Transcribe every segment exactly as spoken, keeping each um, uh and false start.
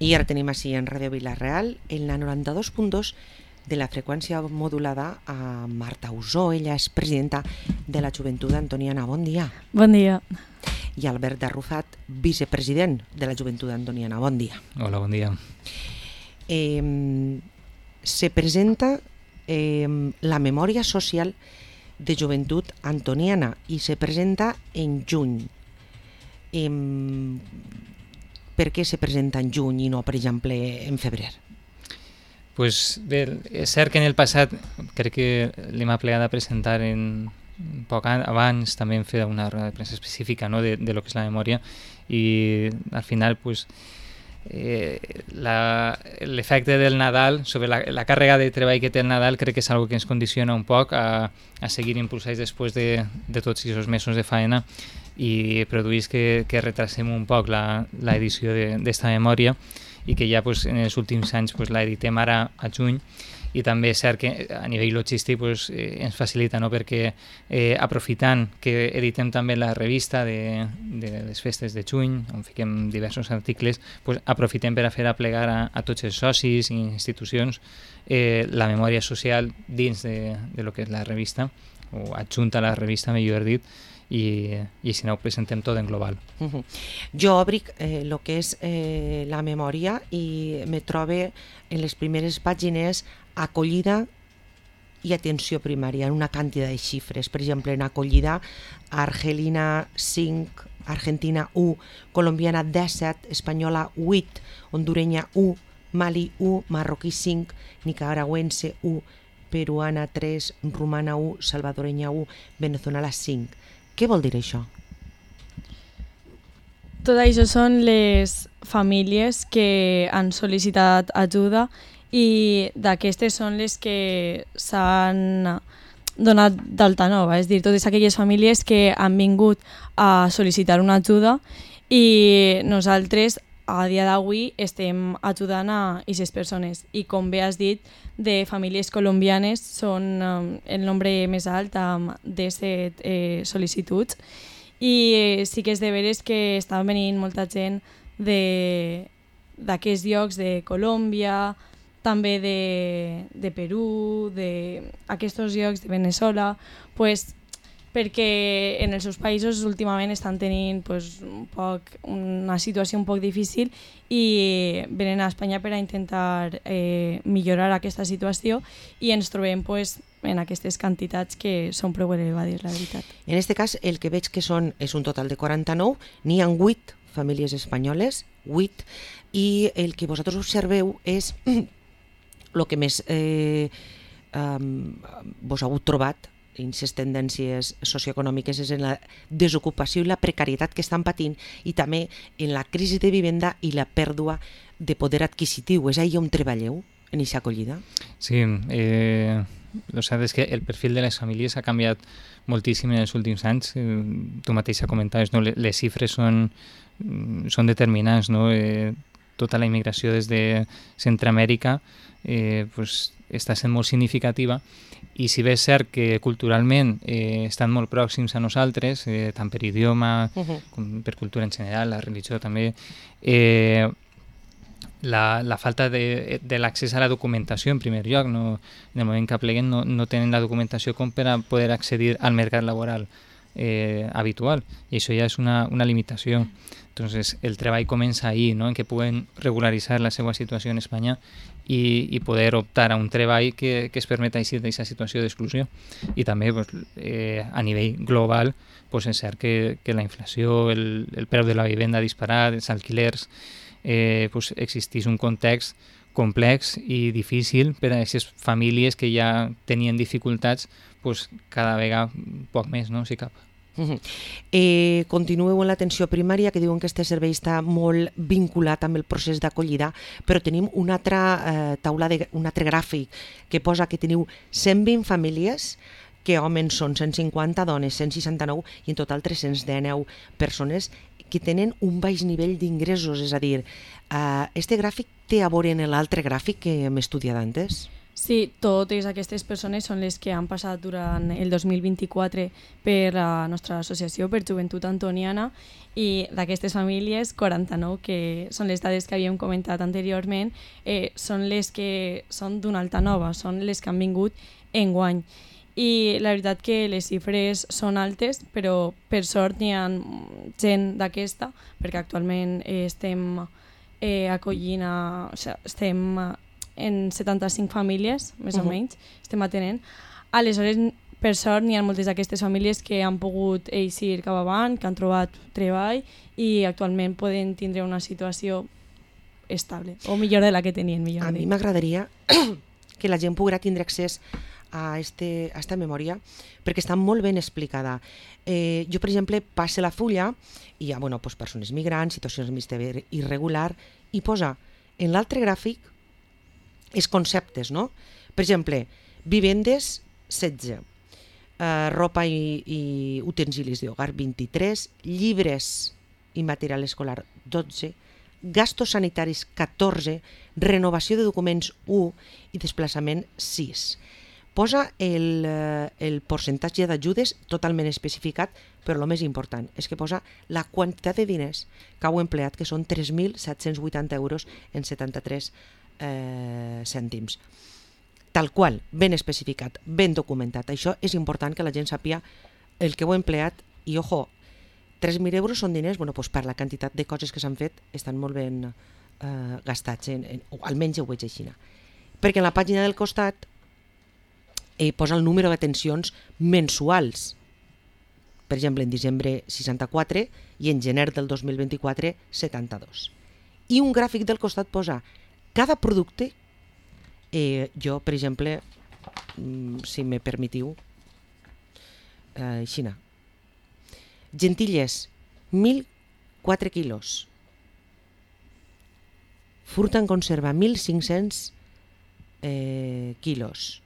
I ara tenim així en Ràdio Vila-real en la noranta-dos punt dos de la freqüència modulada a Marta Usó. Ella és presidenta de la Joventut Antoniana. Bon dia. Bon dia. I Albert Arrufat, vicepresident de la Joventut Antoniana. Bon dia. Hola, bon dia. Eh, se presenta eh, la memòria social de Joventut Antoniana i se presenta en juny. Eh, per què se presenta en juny i no, per exemple, en febrer? Pues bé, és cert que en el passat crec que l'hem aplegat a presentar en poc abans, també hem fet una roda de premsa específica, no, de, de lo que és la memòria, i al final pues, eh, l'efecte del Nadal sobre la, la càrrega de treball que té el Nadal crec que és algo que ens condiciona un poc a, a seguir impulsats després de, de tots aquests mesos de faena i produeix que, que retrasem un poc l'edició d'esta memòria i que ja pues, en els últims anys pues, l'editem ara a juny. I també és cert que a nivell logístic pues, eh, ens facilita, no? Perquè eh, aprofitant que editem també la revista de, de les festes de juny, on fiquem diversos articles, pues, aprofitem per a fer aplegar a, a tots els socis i institucions eh, la memòria social dins de, de lo que és la revista, o adjunta a la revista, millor dit, i, i si no ho presentem tot en global. Uh-huh. Jo obric eh, lo que és eh, la memòria i me trobe en les primeres pàgines acollida i atenció primària, en una quantitat de xifres. Per exemple, en acollida, Argelina cinc, Argentina u, colombiana disset, espanyola vuit, hondurenya u, Mali u, marroquí cinc, nicaragüense u, peruana tres, romana u, salvadorenya u, veneçolana cinc. Què vol dir això? Tot això són les famílies que han sol·licitat ajuda i d'aquestes són les que s'han donat d'alta nova, és a dir, totes aquelles famílies que han vingut a sol·licitar una ajuda i nosaltres a dia d'avui estem ajudant a aquestes persones i com bé has dit, de famílies colombianes són um, el nombre més alt um, de set eh, sol·licituds i eh, sí que és de veres que està venint molta gent d'aquests llocs de Colòmbia, també de, de Perú, d'aquests llocs de Veneçuela, pues, perquè en els seus països últimament estan tenint pues, un poc, una situació un poc difícil i venen a Espanya per a intentar eh, millorar aquesta situació i ens trobem pues, en aquestes quantitats que són prou elevades, la veritat. En aquest cas, el que veig que són és un total de quaranta-nou, n'hi ha vuit famílies espanyoles, vuit, i el que vosaltres observeu és el que més eh, um, vos heu trobat en les tendències socioeconòmiques és en la desocupació i la precarietat que estan patint i també en la crisi de vivenda i la pèrdua de poder adquisitiu. És ahí on treballeu, en aquesta acollida? Sí, eh, lo cert és que el perfil de les famílies ha canviat moltíssim en els últims anys. Eh, tu mateixa comentaves, no? Les xifres són, són determinants, no? Eh, tota la immigració des de Centroamèrica eh, pues, està sent molt significativa i si bé és cert que culturalment eh, estan molt pròxims a nosaltres, eh, tant per idioma uh-huh. com per cultura en general, la religió també, eh, la, la falta de, de l'accés a la documentació en primer lloc, no, en el moment que apleguen no, no tenen la documentació com per a poder accedir al mercat laboral eh, habitual i això ja és una, una limitació. Entonces el treball comença ahí, ¿no? En que pueden regularizar la seva situació en Espanya i, i poder optar a un treball que, que es permeta eixir d'aquesta situació d'exclusió. I també pues, eh, a nivell global pues, és cert que, que la inflació, el, el preu de la vivenda disparat, els alquilers, eh, pues, existeix un context complex i difícil per a aquestes famílies que ja tenien dificultats pues, cada vegada poc més, no? Si cap. Uh-huh. Eh, continueu en l'atenció primària, que diuen que aquest servei està molt vinculat amb el procés d'acollida, però tenim una altra eh, taula, de, un altre gràfic que posa que teniu cent vint famílies, que homes són cent cinquanta, dones cent seixanta-nou i en total tres-cents dinou persones que tenen un baix nivell d'ingressos. És a dir, eh, este gràfic té a veure en l'altre gràfic que hem estudiat antes? Sí, totes aquestes persones són les que han passat durant el dos mil vint-i-quatre per la nostra associació, per Joventut Antoniana, i d'aquestes famílies, quaranta-nou, que són les dades que havíem comentat anteriorment, eh, són les que són d'una alta nova, són les que han vingut enguany. I la veritat que les xifres són altes, però per sort n'hi ha gent d'aquesta, perquè actualment eh, estem eh, acollint, a, o sigui, estem en setanta-cinc famílies, més uh-huh. o menys, estem atenent. Aleshores, per sort, n'hi ha moltes d'aquestes famílies que han pogut eixir cap avant, que han trobat treball i actualment poden tindre una situació estable, o millor de la que tenien. Millor a mi m'agradaria que la gent poguera tindre accés a, este, a esta memòria, perquè està molt ben explicada. Eh, jo, per exemple, passe la fulla i hi ha bueno, pues, persones migrants, situacions administratives irregular, i posa en l'altre gràfic els conceptes, no? Per exemple, vivendes, setze, eh, ropa i, i utensilis d'hogar, vint-i-tres, llibres i material escolar, dotze, gastos sanitaris, catorze, renovació de documents, u, i desplaçament, sis. Posa el, el percentatge d'ajudes totalment especificat, però el més important és que posa la quantitat de diners que heu empleat, que són tres mil set-cents vuitanta euros en setanta-tres eh, cèntims. Tal qual, ben especificat, ben documentat. Això és important que la gent sàpia el que heu empleat i, ojo, tres mil euros són diners, bueno, doncs per la quantitat de coses que s'han fet estan molt ben eh, gastats, en, en, o almenys ho veig així. Perquè en la pàgina del costat eh, posa el número d'atencions mensuals. Per exemple, en desembre seixanta-quatre i en gener del dos mil vint-i-quatre setanta-dos. I un gràfic del costat posa cada producte, eh, jo, per exemple, si me permetiu, eh, Xina, gentilles, mil quatre quilos, fruta en conserva, mil cinc-cents eh, quilos,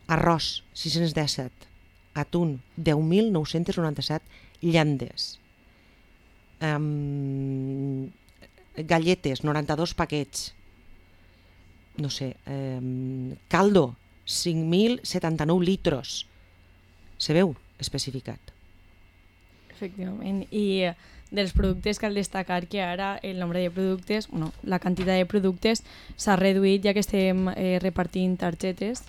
arròs, sis-cents disset, atún, deu mil nou-cents noranta-set llandes, um, galletes, noranta-dos paquets, no sé, um, caldo, cinc mil setanta-nou litros. Se veu especificat. Efectivament, i dels productes cal destacar que ara el nombre de productes, bueno, la quantitat de productes s'ha reduït ja que estem eh, repartint targetes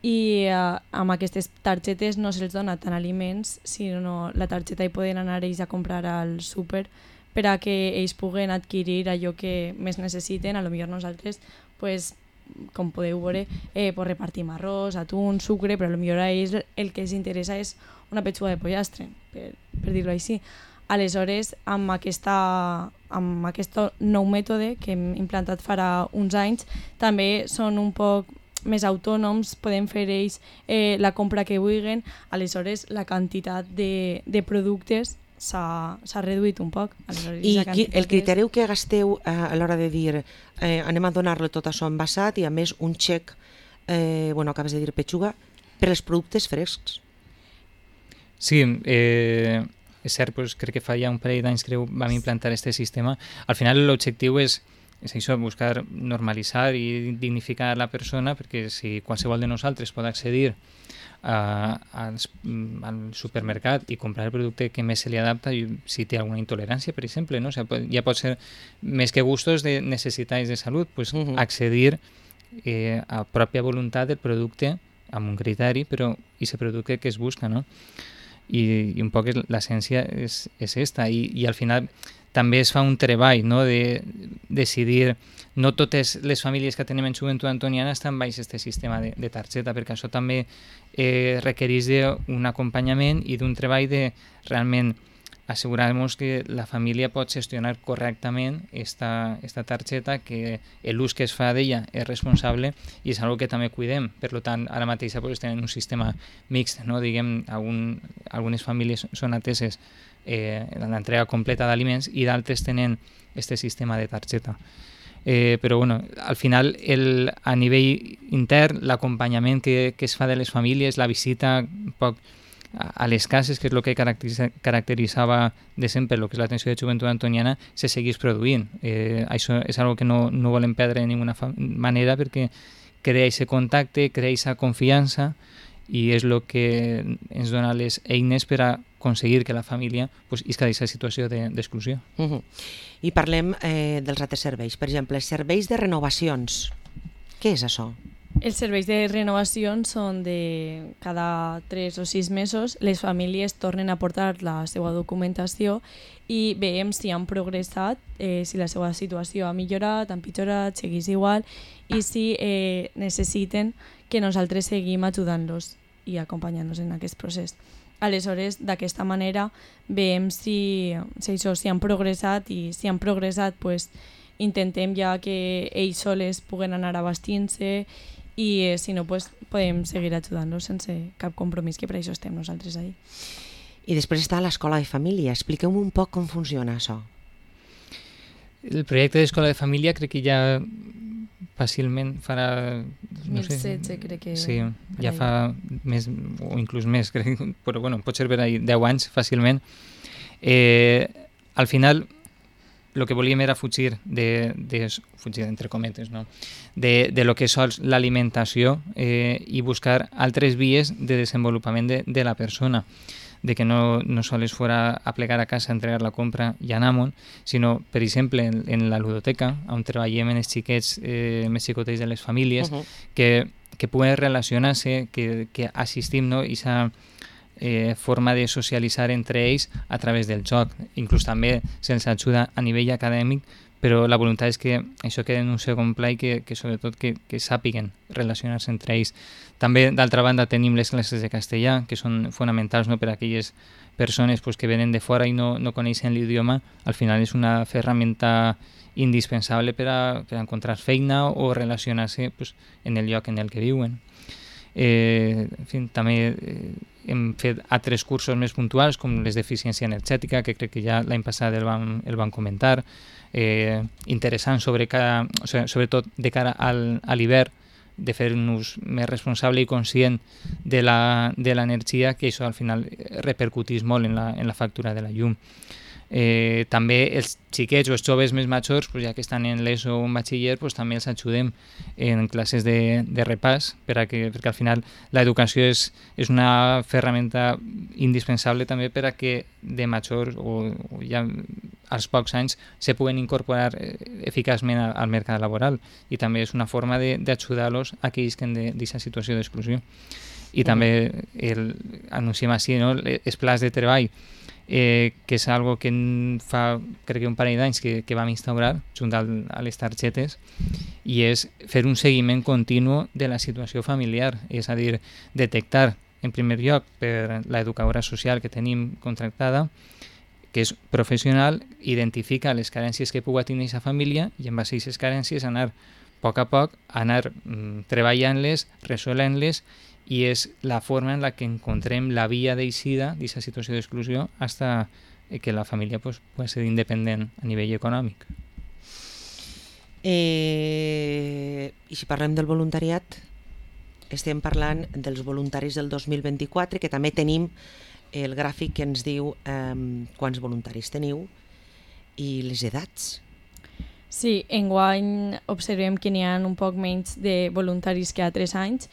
i eh, amb aquestes targetes no se'ls dona tant aliments, sinó la targeta hi poden anar ells a comprar al súper per a que ells puguen adquirir allò que més necessiten. A lo millor nosaltres, pues, com podeu veure, eh, pues repartim arròs, atún, sucre, però a lo millor a ells el que els interessa és una petxuga de pollastre, per, per dir-ho així. Aleshores, amb, aquesta, amb aquest nou mètode que hem implantat farà uns anys, també són un poc més autònoms, podem fer ells eh, la compra que vulguin, aleshores la quantitat de, de productes s'ha reduït un poc. Aleshores, I qui, el criteri que gasteu eh, a l'hora de dir eh, anem a donar-lo tot això envasat i a més un xec, eh, bueno, acabes de dir petxuga, per als productes frescs. Sí, eh, és cert, doncs, crec que fa ja un parell d'anys que vam implantar aquest sistema. Al final l'objectiu és és això, buscar normalitzar i dignificar la persona, perquè si qualsevol de nosaltres pot accedir a, a, al supermercat i comprar el producte que més se li adapta, si té alguna intolerància, per exemple, no? O sigui, ja pot ser més que gustos de necessitats de salut, pues, uh-huh. accedir eh, a pròpia voluntat del producte amb un criteri, però aquest producte que es busca, no? I, i un poc l'essència és, és esta, i, i al final també es fa un treball, no?, de decidir, no totes les famílies que tenim en Joventut Antoniana estan baix aquest sistema de, de targeta, perquè això també eh, requereix d'un acompanyament i d'un treball de realment assegurar-nos que la família pot gestionar correctament esta, esta targeta, que l'ús que es fa d'ella és responsable i és una que també cuidem. Per tant, ara mateix pues, tenen un sistema mixt, no? Diguem, algun, algunes famílies són ateses eh, l'entrega completa d'aliments i d'altres tenen aquest sistema de targeta. Eh, però bueno, al final el, a nivell intern l'acompanyament que, que es fa de les famílies, la visita un poc a les cases, que és el que caracteritzava de sempre el que és l'atenció de Joventut Antoniana, se seguís produint. Eh, això és una que no, no volem perdre de ninguna manera, perquè crea aquest contacte, crea aquesta confiança, i és el que ens dona les eines per a aconseguir que la família pues, isca d'aquesta situació d'exclusió. Uh -huh. I parlem eh, dels altres serveis. Per exemple, serveis de renovacions. Què és això? Els serveis de renovació són de cada tres o sis mesos. Les famílies tornen a portar la seva documentació i veiem si han progressat, eh, si la seva situació ha millorat, ha empitjorat, segueix igual, i si eh, necessiten que nosaltres seguim ajudant-los i acompanyant-los en aquest procés. Aleshores, d'aquesta manera, veiem si, si, això, si han progressat, i si han progressat, pues, intentem ja que ells soles puguen anar abastint-se, i eh, si no, pues, podem seguir ajudant-los sense cap compromís, que per això estem nosaltres ahí. I després està l'escola de família. Expliqueu-me un poc com funciona això. El projecte d'escola de família crec que ja fàcilment farà... dos mil setze, crec que... Sí, ja fa més, o inclús més, crec, però bueno, pot ser per ahí deu anys fàcilment. Eh, al final, el que volíem era fugir, de, de, fugir entre cometes, no? de, de lo que és l'alimentació eh, i buscar altres vies de desenvolupament de, de la persona, de que no, no sols fora a plegar a casa, a entregar la compra i anar-me'n, sinó, per exemple, en, en la ludoteca, on treballem en els xiquets eh, més xicotets de les famílies, uh -huh. que, que puguen relacionar-se, que, que assistim, no? I aquesta eh, forma de socialitzar entre ells a través del joc. Inclús també se'ls ajuda a nivell acadèmic, però la voluntat és que això quedi en un segon pla i que, que sobretot que, que sàpiguen relacionar-se entre ells. També, d'altra banda, tenim les classes de castellà, que són fonamentals, no?, per a aquelles persones pues, que venen de fora i no, no coneixen l'idioma. Al final és una ferramenta indispensable per a, per a encontrar feina o relacionar-se pues, en el lloc en el que viuen. Eh, en fi, també eh, hem fet altres cursos més puntuals, com les d'eficiència energètica, que crec que ja l'any passat el vam, el vam comentar, eh, interessant sobre cada, o sigui, sobretot de cara al, a l'hivern, de fer un ús més responsable i conscient de l'energia, que això al final repercutís molt en la, en la factura de la llum. Eh, també els xiquets o els joves més majors, pues ja que estan en l'ESO o en batxiller, pues també els ajudem en classes de, de repàs, per a que, perquè al final l'educació és, és una ferramenta indispensable també per a que de major o, o ja als pocs anys se puguen incorporar eficaçment al, al mercat laboral, i també és una forma d'ajudar-los a que isquen d'aquesta situació d'exclusió. I també el, anunciem així, no?, els plans de treball, Eh, que és algo que fa, crec que un parell d'anys que, que vam instaurar junt al, a les targetes, i és fer un seguiment continu de la situació familiar, és a dir, detectar en primer lloc per l'educadora social que tenim contractada, que és professional, identifica les carències que pugui tenir aquesta família i en base a aquestes carències anar a poc a poc, anar mm, treballant-les, resolent-les, i és la forma en la que encontrem la via d'eixida d'aquesta situació d'exclusió fins que la família pues, pugui ser independent a nivell econòmic. Eh, I si parlem del voluntariat, estem parlant dels voluntaris del dos mil vint-i-quatre, que també tenim el gràfic que ens diu eh, quants voluntaris teniu i les edats. Sí, enguany observem que n'hi ha un poc menys de voluntaris que a tres anys,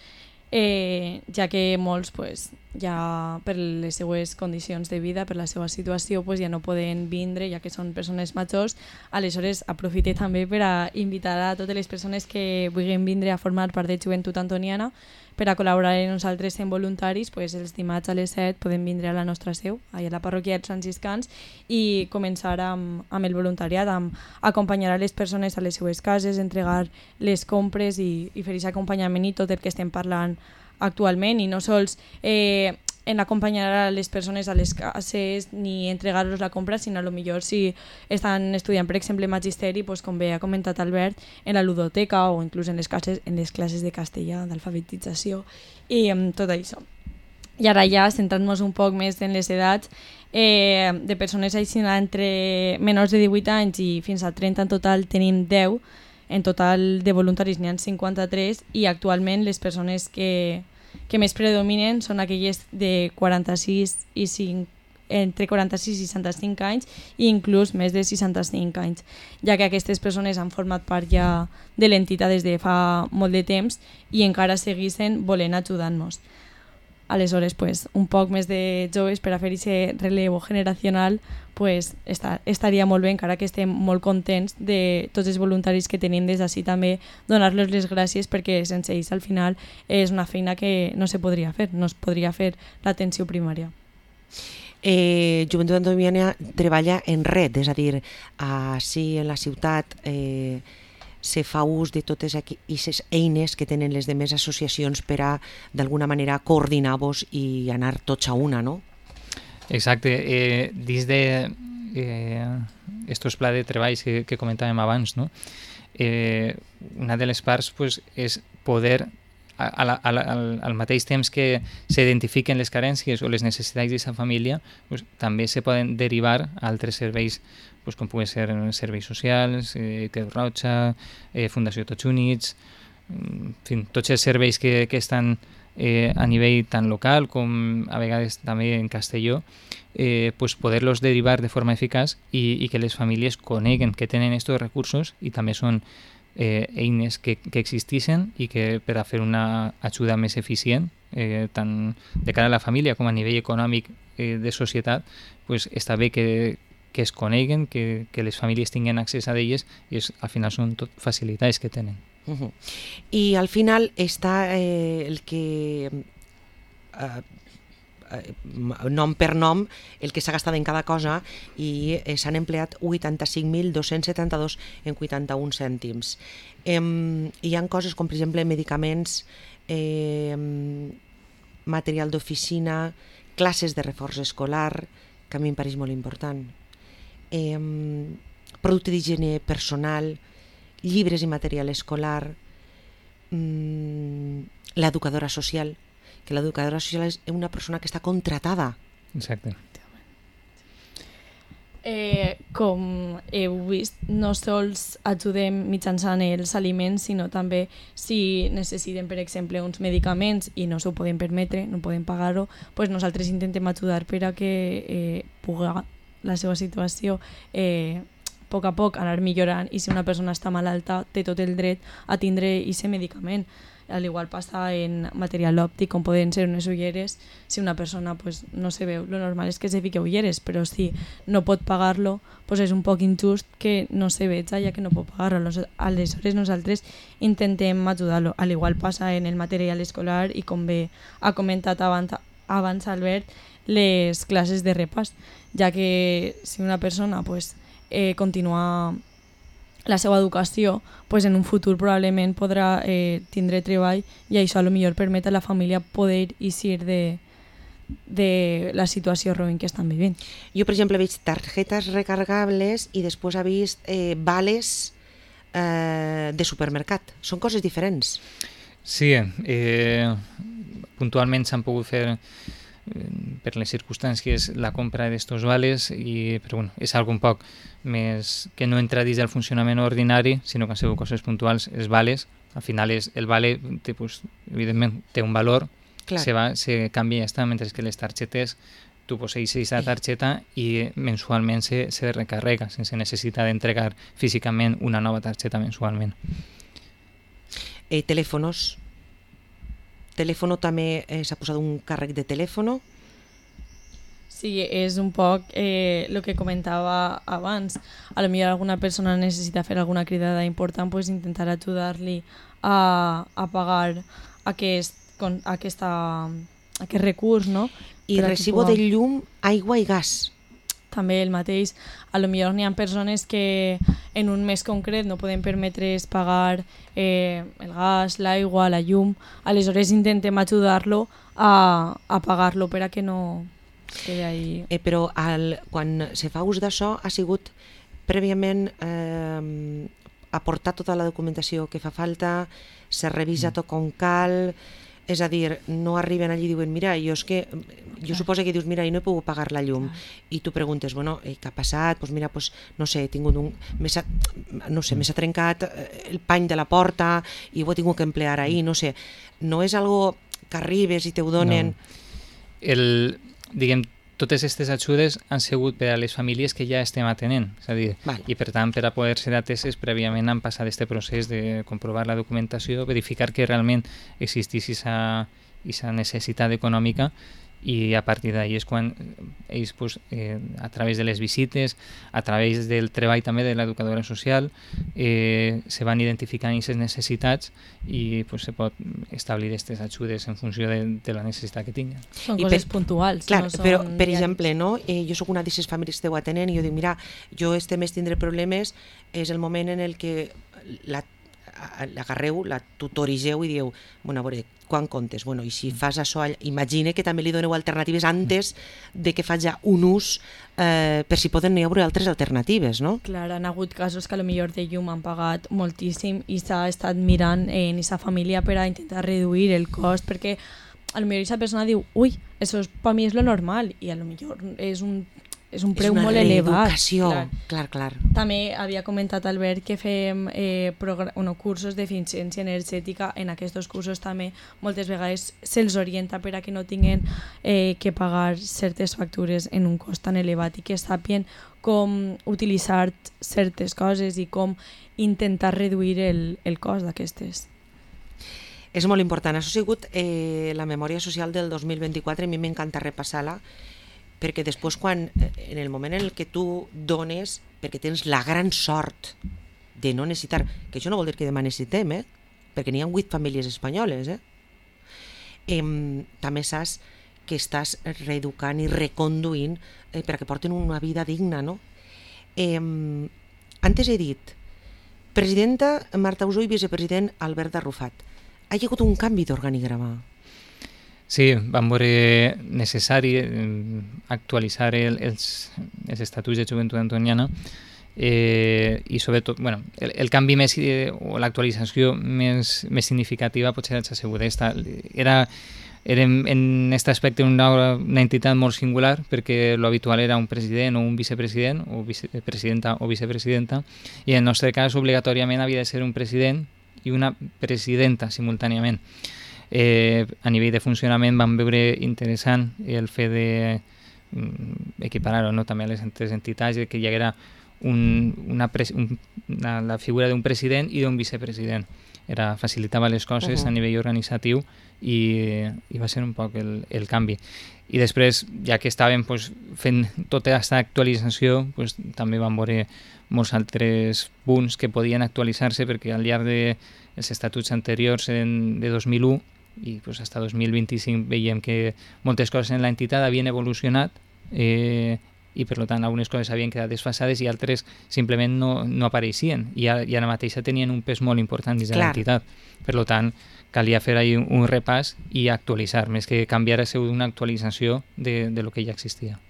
Eh, ja que molts pues, ja per les seues condicions de vida, per la seva situació, pues, ja no poden vindre, ja que són persones majors. Aleshores, aprofite també per a invitar a totes les persones que vulguin vindre a formar part de Joventut Antoniana per a col·laborar amb nosaltres en voluntaris. Pues, els dimarts a les set podem vindre a la nostra seu, allà a la parròquia dels franciscans, i començar amb, amb el voluntariat, amb acompanyar a les persones a les seues cases, entregar les compres i, i fer aquest acompanyament i tot el que estem parlant actualment, i no sols eh, en acompanyar a les persones a les cases ni entregar-los la compra, sinó a lo millor si estan estudiant, per exemple, magisteri, pues, com bé ha comentat Albert, en la ludoteca o inclús en les classes, en les classes de castellà, d'alfabetització i um, tot això. I ara ja, centrant-nos un poc més en les edats, eh, de persones així entre menors de divuit anys i fins a trenta en total tenim deu. En total de voluntaris n'hi ha cinquanta-tres, i actualment les persones que, que més predominen són aquelles de quaranta-sis i cinc entre quaranta-sis i seixanta-cinc anys i inclús més de seixanta-cinc anys, ja que aquestes persones han format part ja de l'entitat des de fa molt de temps i encara seguissin volent ajudar-nos. Aleshores, pues, un poc més de joves per a fer aquest relevo generacional pues, esta, estaria molt bé, encara que estem molt contents de tots els voluntaris que tenim des d'ací també, donar-los les gràcies perquè sense ells al final és una feina que no se podria fer, no es podria fer l'atenció primària. Eh, Joventut Antoniana treballa en red, és a dir, així en la ciutat eh, se fa ús de totes aquestes eines que tenen les demés associacions per a, d'alguna manera, coordinar-vos i anar tots a una, no? Exacte. Eh, dins de eh, estos plans de treballs que, que comentàvem abans, no? eh, una de les parts pues, és poder a la, a la, al, al mateix temps que s'identifiquen les carències o les necessitats d'aquesta família, pues, també se poden derivar a altres serveis, pues, com poden ser serveis socials, eh, Creu Roja, eh, Fundació Tots Units, en fi, tots els serveis que, que estan eh, a nivell tant local com a vegades també en Castelló, eh, pues, poder-los derivar de forma eficaç i, i que les famílies coneguen que tenen aquests recursos i també són Eh, eines que, que existeixen i que per a fer una ajuda més eficient eh, tant de cara a la família com a nivell econòmic eh, de societat, pues, està bé que, que es coneguen, que, que les famílies tinguin accés a elles i és, al final són tot facilitats que tenen. Uh-huh. I al final està eh, el que eh, nom per nom el que s'ha gastat en cada cosa i eh, s'han empleat vuitanta-cinc mil dos-cents setanta-dos en vuitanta-un cèntims. Eh, hi ha coses com per exemple medicaments, eh, material d'oficina, classes de reforç escolar, que a mi em pareix molt important, eh, producte d'higiene personal, llibres i material escolar, mm, l'educadora social, que l'educadora social és una persona que està contratada. Exacte. Eh, com heu vist, no sols ajudem mitjançant els aliments, sinó també si necessiten, per exemple, uns medicaments i no s'ho poden permetre, no poden pagar-ho, pues nosaltres intentem ajudar per a que eh, pugui la seva situació eh, a poc a poc anar millorant i si una persona està malalta té tot el dret a tindre aquest medicament. Al igual passa en material òptic, com poden ser unes ulleres. Si una persona pues, no se veu, lo normal és que se fique ulleres, però si no pot pagar-lo, pues és un poc injust que no se veja ja que no pot pagar-lo. Aleshores nosaltres intentem ajudar-lo. Al igual passa en el material escolar i com bé ha comentat abans, abans Albert, les classes de repàs, ja que si una persona pues, eh, continua la seva educació, pues en un futur probablement podrà eh, tindre treball i això a lo millor permet a la família poder eixir de, de la situació ruïn que estan vivint. Jo, per exemple, he vist targetes recargables i després he vist eh, vales eh, de supermercat. Són coses diferents. Sí, eh, puntualment s'han pogut fer per les circumstàncies la compra d'estos vales, i, però bueno, és algo un poc més que no entra dins del funcionament ordinari, sinó que han sigut coses puntuals. Els vales, al final és, el vale té, pues, evidentment té un valor, se, va, se canvia i ja està, mentre que les targetes tu posseixes la targeta i mensualment se, se recarrega sense necessitat d'entregar físicament una nova targeta mensualment. Eh, telèfonos. Telèfono també eh, s'ha posat un càrrec de telèfono. Sí, és un poc el eh, que comentava abans. A lo millor alguna persona necessita fer alguna cridada important, pues intentar ajudar-li a, a pagar aquest, con, aquesta, aquest recurs, no? I recibo de llum, aigua i gas. També el mateix. A lo millor n'hi ha persones que en un mes concret no poden permetre's pagar eh, el gas, l'aigua, la llum. Aleshores intentem ajudar-lo a, a pagar-lo per a que no quedi ahí. Eh, però al, quan se fa ús d'això ha sigut prèviament eh, aportar tota la documentació que fa falta, se revisa tot com cal. És a dir, no arriben allí i diuen mira, jo és que, jo suposo que dius mira, jo no he pogut pagar la llum i tu preguntes, bueno, eh, què ha passat? Pues mira, pues, no sé, he tingut un m'ha no sé, m'ha trencat el pany de la porta i ho he tingut que emplear ahir, no sé, no és algo que arribes i te ho donen. No. El, diguem, totes aquestes ajudes han sigut per a les famílies que ja estem atenent, és a dir, Vale. i per tant per a poder ser ateses prèviament han passat aquest procés de comprovar la documentació, verificar que realment existís aquesta necessitat econòmica, i a partir d'ahir és quan ells pues, eh, a través de les visites, a través del treball també de l'educadora social, eh, se van identificant aquestes necessitats i pues, se pot establir aquestes ajudes en funció de, de la necessitat que tinguen. Són I coses per- puntuals. Clar, no són però, per diaris. exemple, no? eh, jo sóc una d'aquestes famílies que esteu atenent i jo dic, mira, jo este mes tindré problemes, és el moment en el que la l'agarreu, la tutorigeu i dieu, bueno, a veure, quan comptes? Bueno, i si fas això, imagine que també li doneu alternatives antes de que faci un ús eh, per si poden hi haver altres alternatives, no? Clar, han hagut casos que a lo millor de llum han pagat moltíssim i s'ha estat mirant en aquesta família per a intentar reduir el cost, perquè a lo millor aquesta persona diu, ui, això per mi és lo normal, i a lo millor és un, és un preu és una molt elevat. reeducació, Clar. clar, clar. També havia comentat Albert que fem eh, progra- bueno, cursos d'eficiència energètica. En aquests cursos també moltes vegades se'ls orienta per a que no tinguin eh, que pagar certes factures en un cost tan elevat i que sàpien com utilitzar certes coses i com intentar reduir el, el cost d'aquestes. És molt important. Això ha sigut eh, la memòria social del dos mil vint-i-quatre, a mi m'encanta repassar-la, perquè després quan, en el moment en el que tu dones, perquè tens la gran sort de no necessitar, que això no vol dir que demà necessitem, eh? perquè n'hi ha vuit famílies espanyoles, eh? Em, també saps que estàs reeducant i reconduint eh, perquè porten una vida digna, no? Em, antes he dit, presidenta Marta Usó i vicepresident Albert Arrufat. Ha hi hagut un canvi d'organigrama. Sí, vam veure necessari eh, actualitzar el, els, els estatuts de joventut antoniana eh, i sobretot bueno, el, el canvi més eh, o l'actualització més, més significativa potser ha sigut esta. Era, era en aquest aspecte una, una entitat molt singular perquè l'habitual era un president o un vicepresident o vicepresidenta o vicepresidenta i en el nostre cas obligatòriament havia de ser un president i una presidenta simultàniament. Eh, a nivell de funcionament vam veure interessant el fet de mm, equiparar-ho no? també a les altres entitats, que hi haguera un, una, pres, un, una, la figura d'un president i d'un vicepresident. Era, facilitava les coses uh-huh. a nivell organitzatiu i, i va ser un poc el, el canvi. I després, ja que estàvem pues, fent tota aquesta actualització, pues, també vam veure molts altres punts que podien actualitzar-se perquè al llarg dels estatuts anteriors en, de dos mil u i pues, fins a dos mil vint-i-cinc veiem que moltes coses en l'entitat havien evolucionat eh, i per tant algunes coses havien quedat desfasades i altres simplement no, no apareixien i ara, i ara mateixa tenien un pes molt important dins de l'entitat. Per tant, calia fer ahí un, un repàs i actualitzar, més que canviar a ser una actualització de, de lo que ja existia.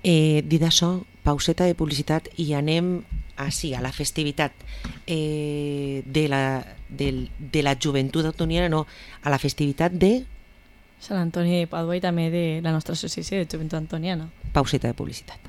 Eh, dit això, pauseta de publicitat i anem així, a la festivitat eh, de, la, de, de la joventut antoniana, no, a la festivitat de... Sant Antoni de Pàdua i també de la nostra associació de joventut antoniana. Pauseta de publicitat.